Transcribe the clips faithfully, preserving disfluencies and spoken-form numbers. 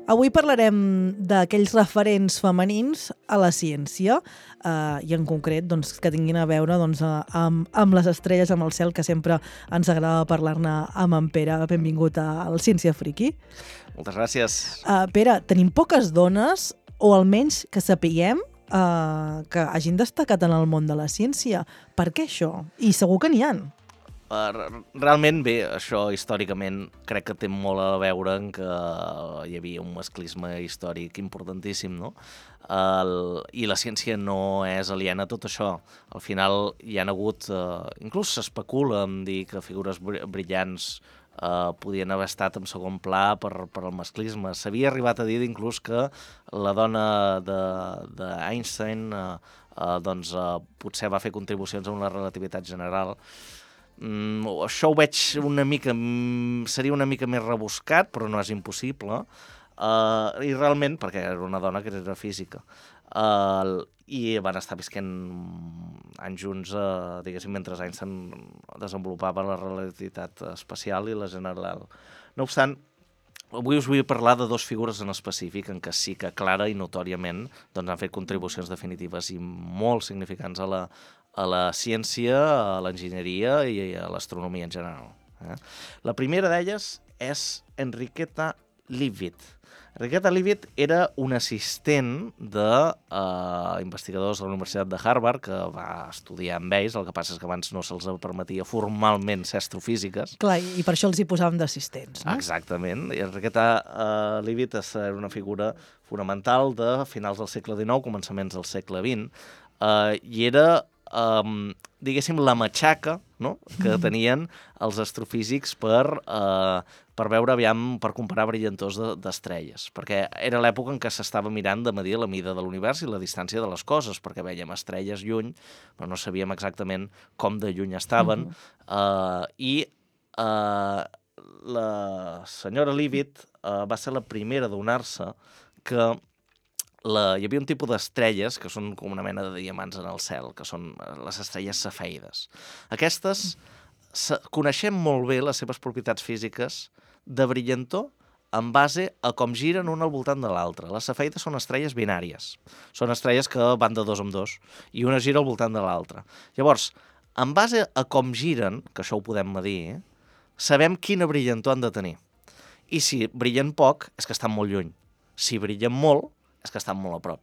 Avui parlarem d'aquells referents femenins a la ciència eh, i en concret doncs, que tinguin a veure doncs, amb, amb les estrelles, amb el cel, que sempre ens agrada parlar-ne amb en Pere. Benvingut al Ciència Friki. Moltes gràcies. Uh, Pere, tenim poques dones, o almenys que sapiguem, uh, que hagin destacat en el món de la ciència. Per què això? I segur que n'hi ha. Uh, realment bé, això històricament crec que té molt a veure en que hi havia un masclisme històric importantíssim, no? Uh, I la ciència no és aliena a tot això. Al final hi ha hagut, uh, inclús s'especula en dir que figures brillants Uh, podien haver estat en segon pla per, per al masclisme. S'havia arribat a dir inclús que la dona d'Einstein uh, uh, doncs, uh, potser va fer contribucions a una relativitat general. Mm, això ho veig una mica... seria una mica més rebuscat, però no és impossible. Uh, I realment, perquè era una dona que era física. Uh, I van estar visquent anys junts, uh, diguéssim, mentre Einstein desenvolupava la relativitat especial i la general. No obstant, avui us vull parlar de dues figures en específic en què sí que clara i notòriament doncs, han fet contribucions definitives i molt significants a la, a la ciència, a l'enginyeria i a l'astronomia en general. Eh? La primera d'elles és Enriqueta Leavitt. Enriqueta Leavitt era un assistent d'investigadors uh, de la Universitat de Harvard que va estudiar amb ells, el que passa és que abans no se'ls permetia formalment ser astrofísiques. Clar, i per això els hi posàvem d'assistents, no? Exactament. I Enriqueta uh, Leavitt era una figura fonamental de finals del segle dinou, començaments del segle vint, uh, i era... Um, diguéssim, la matxaca, no?, que tenien els astrofísics per, uh, per veure, aviam, per comparar brillantors d'estrelles, perquè era l'època en què s'estava mirant de medir la mida de l'univers i la distància de les coses, perquè vèiem estrelles lluny, però no sabíem exactament com de lluny estaven, uh, i uh, la senyora Leavitt uh, va ser la primera a adonar-se que La, hi havia un tipus d'estrelles que són com una mena de diamants en el cel, que són les estrelles cefeides. Aquestes, coneixem molt bé les seves propietats físiques de brillantor en base a com giren una al voltant de l'altra. Les cefeides són estrelles binàries. Són estrelles que van de dos en dos, i una gira al voltant de l'altra. Llavors, en base a com giren, que això ho podem medir, sabem quina brillantor han de tenir. I si brillen poc, és que estan molt lluny. Si brillen molt, és que estan molt a prop.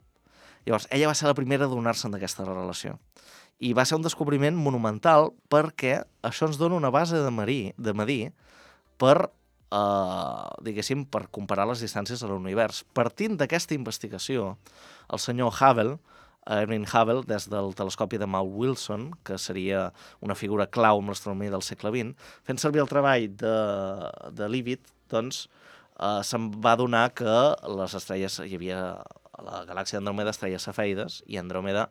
Llavors, ella va ser la primera a adonar-se'n d'aquesta relació. I va ser un descobriment monumental perquè això ens dona una base de medir, de medir per, eh, diguéssim, per comparar les distàncies de l'univers. Partint d'aquesta investigació, el senyor Hubble, Edwin Hubble, des del telescopi de Mount Wilson, que seria una figura clau en l'astronomia del segle vint, fent servir el treball de, de Leavitt, doncs, Uh, se'n va adonar que les estrelles, hi havia a la galàxia d'Andròmeda estrelles cefeides, i Andròmeda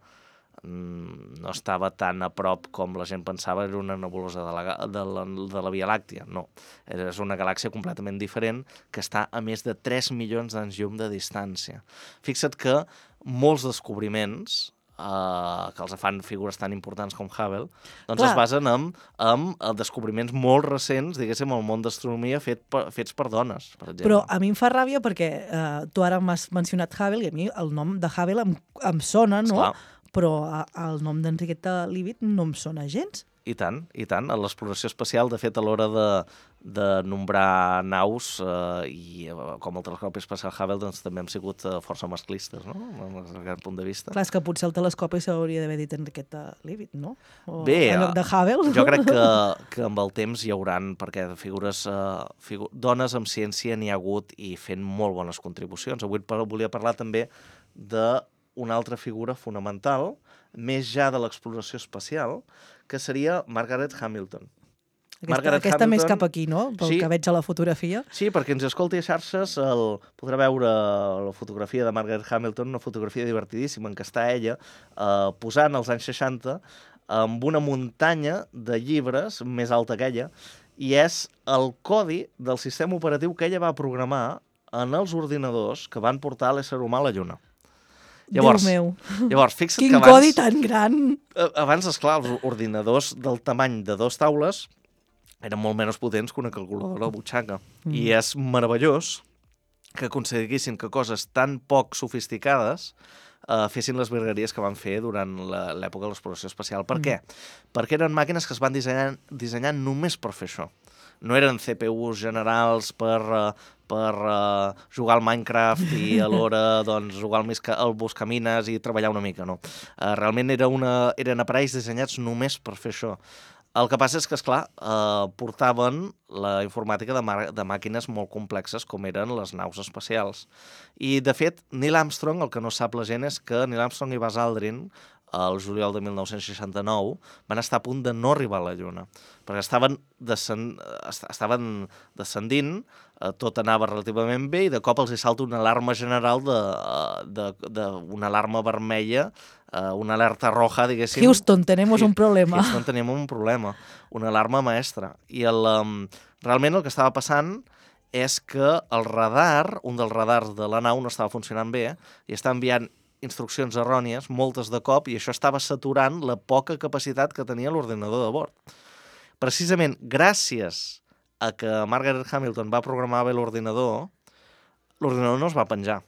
mm, no estava tan a prop com la gent pensava, era una nebulosa de la, de la, de la Via Làctia. No, és una galàxia completament diferent que està a més de tres milions d'anys llum de distància. Fixa't que molts descobriments Uh, que els fan figures tan importants com Hubble, doncs Clar. es basen en, en descobriments molt recents, diguéssim, al món d'astronomia fet per, fets per dones, per exemple. Però a mi em fa ràbia perquè uh, tu ara m'has mencionat Hubble i a mi el nom de Hubble em, em sona, no? Esclar. Però uh, el nom d'Enriqueta Leavitt no em sona gens. I tant, i tant. A l'exploració espacial, de fet, a l'hora de, de nombrar naus, eh, i eh, com el telescopi espacial Hubble, doncs també hem sigut eh, força masclistes, no?, des d'aquest punt de vista. Clar, és que potser el telescopi s'hauria d'haver dit Enriqueta Leavitt, no? O Bé, en lloc de Hubble. Jo crec que, que amb el temps hi hauran, perquè de figures, eh, figu dones amb ciència n'hi ha hagut i fent molt bones contribucions. Avui volia parlar també d'una altra figura fonamental, més ja de l'exploració espacial, que seria Margaret Hamilton. Aquesta, Margaret aquesta Hamilton, més cap aquí, no? Pel sí, que veig a la fotografia. Sí, perquè ens escolti a xarxes, el, podrà veure la fotografia de Margaret Hamilton, una fotografia divertidíssima en què està ella eh, posant als anys seixanta amb una muntanya de llibres més alta que ella, i és el codi del sistema operatiu que ella va programar en els ordinadors que van portar l'ésser humà a la Lluna. Llavors, Déu meu. Llavors, fixa't Quin que abans... codi tan gran! Abans, esclar, els ordinadors del tamany de dos taules eren molt menys potents que una calculadora de butxaca. Mm. I és meravellós que aconseguissin que coses tan poc sofisticades eh, fessin les virgueries que van fer durant l'època de l'exploració espacial. Per mm. què? Perquè eren màquines que es van dissenyar, dissenyar només per fer això. No eren C P Us generals per, uh, per uh, jugar al Minecraft i alhora doncs, jugar al, misca, al Buscamines i treballar una mica, no. Uh, realment era una, eren aparells dissenyats només per fer això. El que passa és que, esclar, eh, portaven la informàtica de, de màquines molt complexes com eren les naus espacials. I, de fet, Neil Armstrong, el que no sap la gent és que Neil Armstrong i Buzz Aldrin, el juliol de mil nou-cents seixanta-nou, van estar a punt de no arribar a la Lluna, perquè estaven, descend... estaven descendint, eh, tot anava relativament bé, i de cop els hi salta una alarma general, de, de, de, una alarma vermella, eh, una alerta roja, diguéssim. Houston, tenemos un problema. Houston, tenim un problema, una alarma maestra. I el, um, realment el que estava passant és que el radar, un dels radars de la nau no estava funcionant bé, i està enviant instruccions errònies, moltes de cop, i això estava saturant la poca capacitat que tenia l'ordinador de bord. Precisament gràcies a que Margaret Hamilton va programar bé l'ordinador, l'ordinador no es va penjar.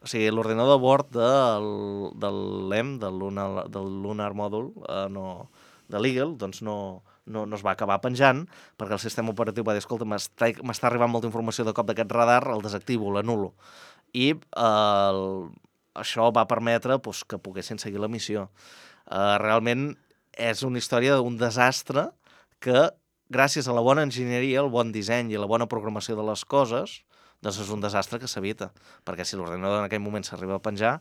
O sigui, l'ordinador de bord del, del L E M, del Lunar, del Lunar Module, eh, no, de l'Eagle, doncs no, no, no es va acabar penjant, perquè el sistema operatiu va dir, escolta, m'està arribant molta informació de cop d'aquest radar, el desactivo, l'anulo. I eh, el això va permetre doncs, que poguessin seguir la missió. Uh, realment és una història d'un desastre que, gràcies a la bona enginyeria, el bon disseny i la bona programació de les coses, doncs és un desastre que s'evita. Perquè si l'ordinador en aquell moment s'arriba a penjar,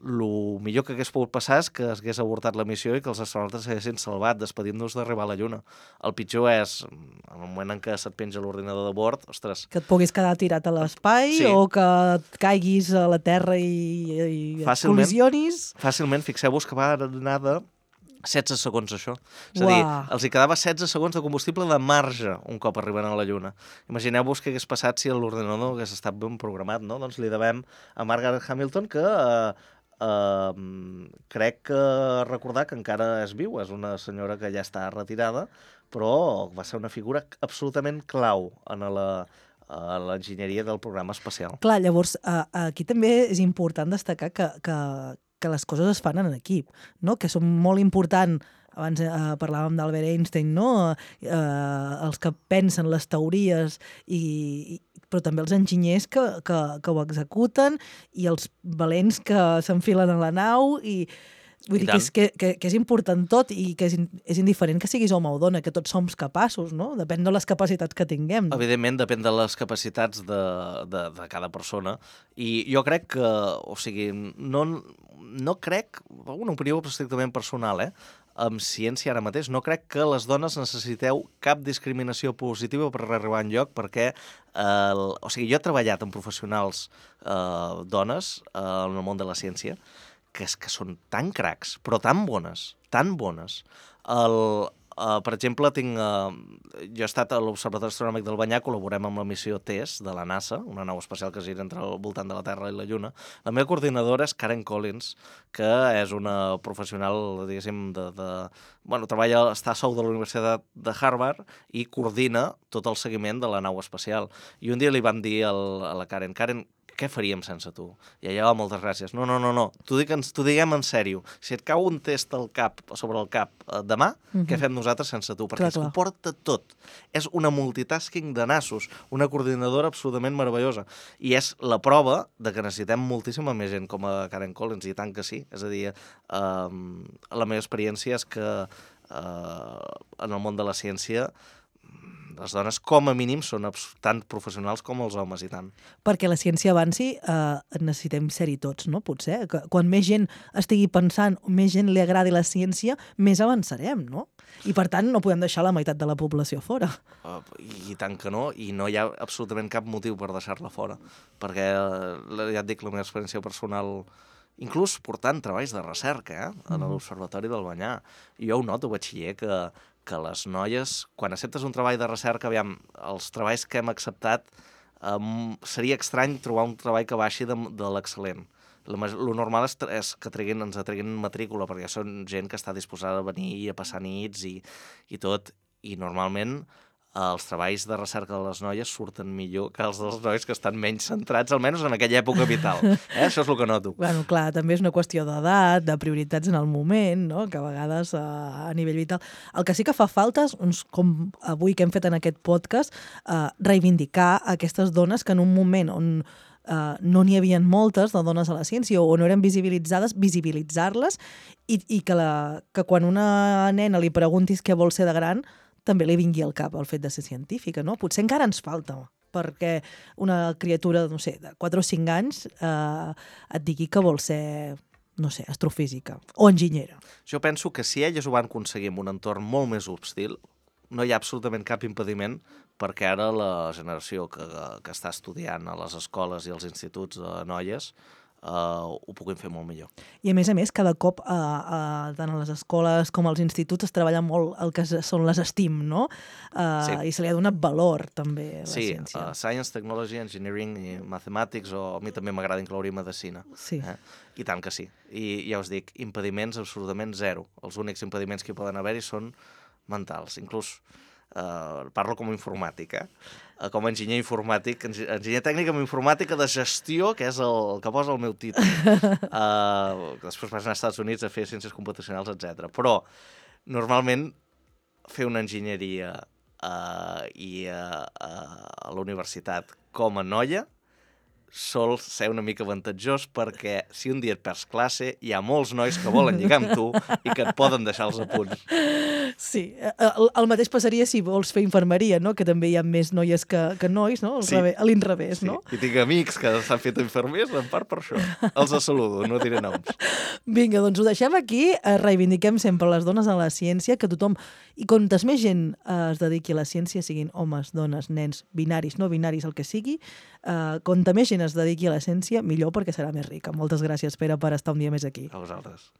el millor que hagués pogut passar és que hagués avortat la missió i que els astronautes s'haguessin salvat, despedint-nos d'arribar a la Lluna. El pitjor és, en el moment en què se't penja l'ordinador de bord, ostres... Que et puguis quedar tirat a l'espai, sí, o que et caiguis a la Terra i, i fàcilment, col·lisionis... Fàcilment, fixeu-vos que va anar de setze segons, això. És a dir, els hi quedava setze segons de combustible de marge un cop arriben a la Lluna. Imagineu-vos què hagués passat si l'ordinador no hagués estat ben programat, no? Doncs li devem a Margaret Hamilton que... Eh, Uh, crec que recordar que encara és viu, és una senyora que ja està retirada, però va ser una figura absolutament clau en la, a l'enginyeria del programa espacial. Clar, llavors, uh, aquí també és important destacar que, que, que les coses es fan en equip, no? Que són molt important. Abans eh, parlàvem d'Albert Einstein, no? Eh, els que pensen les teories, i, però també els enginyers que, que, que ho executen, i els valents que s'enfilen a la nau, i vull I dir que és, que, que, que és important tot, i que és, és indiferent que siguis home o dona, que tots som capaços, no? Depèn de les capacitats que tinguem. No? Evidentment, depèn de les capacitats de, de, de cada persona, i jo crec que, o sigui, no, no crec, una opinió estrictament personal, eh? Amb ciència ara mateix, no crec que les dones necessiteu cap discriminació positiva per arribar enlloc, perquè eh, o sigui, jo he treballat amb professionals eh, dones eh, en el món de la ciència que, és, que són tan cracs, però tan bones, tan bones. El, uh, per exemple, tinc, uh, jo he estat a l'Observatori Astronòmic del Banyà, col·laborem amb la missió TESS de la NASA, una nau espacial que gira entre el voltant de la Terra i la Lluna. La meva coordinadora és Karen Collins, que és una professional, diguéssim, de... de bueno, treballa, està a sou de la Universitat de Harvard i coordina tot el seguiment de la nau espacial. I un dia li vam dir al, a la Karen, Karen, què faríem sense tu? I ella, oh, moltes gràcies. No, no, no, no. T'ho diguem en sèrio. Si et cau un test al cap, sobre el cap eh, demà, mm-hmm. què fem nosaltres sense tu? Perquè clar, es comporta tot. És una multitasking de nassos, una coordinadora absolutament meravellosa. I és la prova de que necessitem moltíssima més gent com a Karen Collins, i tant que sí. És a dir, eh, la meva experiència és que eh, en el món de la ciència les dones, com a mínim, són tan professionals com els homes, i tant. Perquè la ciència avanci, eh, necessitem ser-hi tots, no? Potser. Que quan més gent estigui pensant, més gent li agradi la ciència, més avançarem, no? I, per tant, no podem deixar la meitat de la població fora. Uh, I tant que no, i no hi ha absolutament cap motiu per deixar-la fora. Perquè, ja et dic, la meva experiència personal, inclús portant treballs de recerca, eh, a l'Observatori del Banyà, i jo ho noto, batxiller, que que les noies, quan acceptes un treball de recerca, aviam, els treballs que hem acceptat, um, seria estrany trobar un treball que baixi de, de l'excel·lent. El normal és, és que treguin, ens treguin matrícula, perquè són gent que està disposada a venir i a passar nits i, i tot, i normalment els treballs de recerca de les noies surten millor que els dels nois que estan menys centrats, almenys en aquella època vital. Eh? Això és el que noto. Bueno, clar, també és una qüestió d'edat, de prioritats en el moment, no? Que a vegades a, a nivell vital... El que sí que fa falta, uns, com avui que hem fet en aquest podcast, eh, reivindicar aquestes dones que en un moment on Uh, no n'hi havia moltes de dones a la ciència o no eren visibilitzades, visibilitzar-les i, i que, la, que quan una nena li preguntis què vol ser de gran també li vingui al cap el fet de ser científica, no? Potser encara ens falta perquè una criatura, no sé, de quatre o cinc anys eh, et digui que vol ser, no sé, astrofísica o enginyera. Jo penso que si elles ho van aconseguir en un entorn molt més hostil, no hi ha absolutament cap impediment perquè ara la generació que, que està estudiant a les escoles i als instituts de noies eh, ho puguin fer molt millor. I a més a més, cada cop eh, eh, tant a les escoles com als instituts es treballa molt el que són les STEAM, no? Eh, sí. I se li ha donat valor també a la sí, ciència. Sí, uh, Science, Technology, Engineering i Mathematics, o a mi també m'agrada incloure medicina. Sí. Eh? I tant que sí. I ja us dic, impediments absolutament zero. Els únics impediments que hi poden haver-hi són mentals. Inclús Uh, parlo com a informàtic, eh? Uh, com a enginyer informàtic, enginyer tècnic amb informàtica de gestió, que és el, el que posa el meu títol. Uh, després vas anar als Estats Units a fer ciències computacionals, etcètera. Però, normalment, fer una enginyeria uh, i uh, uh, a la universitat com a noia sol ser una mica avantatjós perquè si un dia et perds classe hi ha molts nois que volen lligar amb tu i que et poden deixar els apunts. Sí, el, el mateix passaria si vols fer infermeria, no? Que també hi ha més noies que, que nois, no? Sí. A l'inrevés, sí. no? I tinc amics que s'han fet infermers en part per això. Els saludo, no diré noms. Vinga, doncs ho deixem aquí. Reivindiquem sempre les dones a la ciència, que tothom, i quantes més gent es dediqui a la ciència, siguin homes, dones, nens, binaris, no binaris, el que sigui, eh, quanta més gent es dediqui a la ciència, millor perquè serà més rica. Moltes gràcies, Pere, per estar un dia més aquí. A vosaltres.